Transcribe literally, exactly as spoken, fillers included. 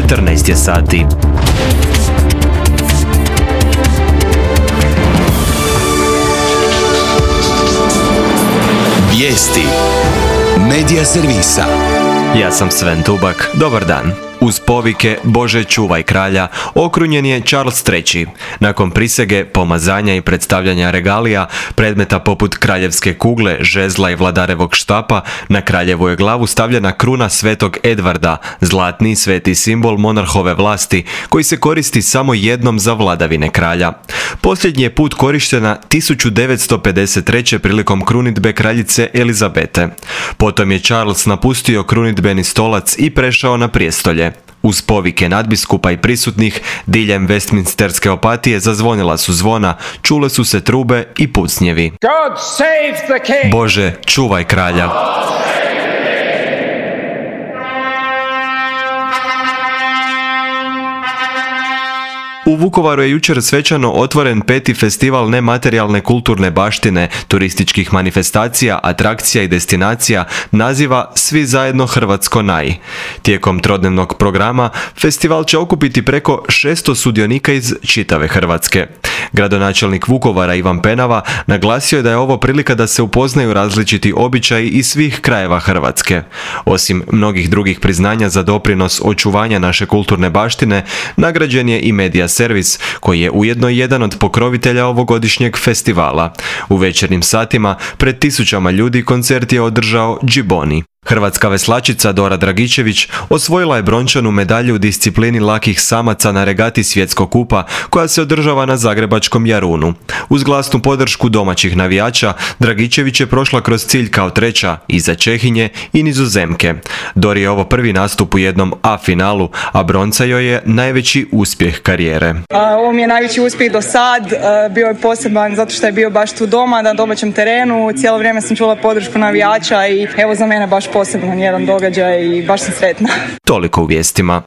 četrnaest je sati. Vijesti Medija servisa. Ja sam Sven Tubak. Dobar dan. Uz povike Bože čuvaj kralja okrunjen je Charles treći. Nakon prisege, pomazanja i predstavljanja regalija, predmeta poput kraljevske kugle, žezla i vladarevog štapa, na kraljevu je glavu stavljena kruna svetog Edvarda, zlatni sveti simbol monarhove vlasti, koji se koristi samo jednom za vladavine kralja. Posljednji je put korištena tisuću devetsto pedeset treće prilikom krunidbe kraljice Elizabete. Potom je Charles napustio krunidbeni stolac i prešao na prijestolje. Uz povike nadbiskupa i prisutnih, diljem Westminsterske opatije zazvonila su zvona, čule su se trube i pucnjevi. God save the king. Bože, čuvaj kralja. U Vukovaru je jučer svečano otvoren peti festival nematerijalne kulturne baštine, turističkih manifestacija, atrakcija i destinacija naziva Svi zajedno Hrvatsko naj. Tijekom trodnevnog programa festival će okupiti preko šesto sudionika iz čitave Hrvatske. Gradonačelnik Vukovara Ivan Penava naglasio je da je ovo prilika da se upoznaju različiti običaji iz svih krajeva Hrvatske. Osim mnogih drugih priznanja za doprinos očuvanja naše kulturne baštine, nagrađen je i Medija servis, koji je ujedno jedan od pokrovitelja ovogodišnjeg festivala. U večernjim satima pred tisućama ljudi koncert je održao Džiboni. Hrvatska veslačica Dora Dragičević osvojila je brončanu medalju u disciplini lakih samaca na regati Svjetskog kupa koja se održava na zagrebačkom Jarunu. Uz glasnu podršku domaćih navijača, Dragičević je prošla kroz cilj kao treća, iza Čehinje i Nizozemke. Dori je ovo prvi nastup u jednom A finalu, a bronca joj je najveći uspjeh karijere. Ovo mi je najveći uspjeh do sad, bio je poseban zato što je bio baš tu doma, na domaćem terenu, cijelo vrijeme sam čula podršku navijača i evo za mene baš poseban jedan događaj i baš sam sretna. Toliko u vijestima.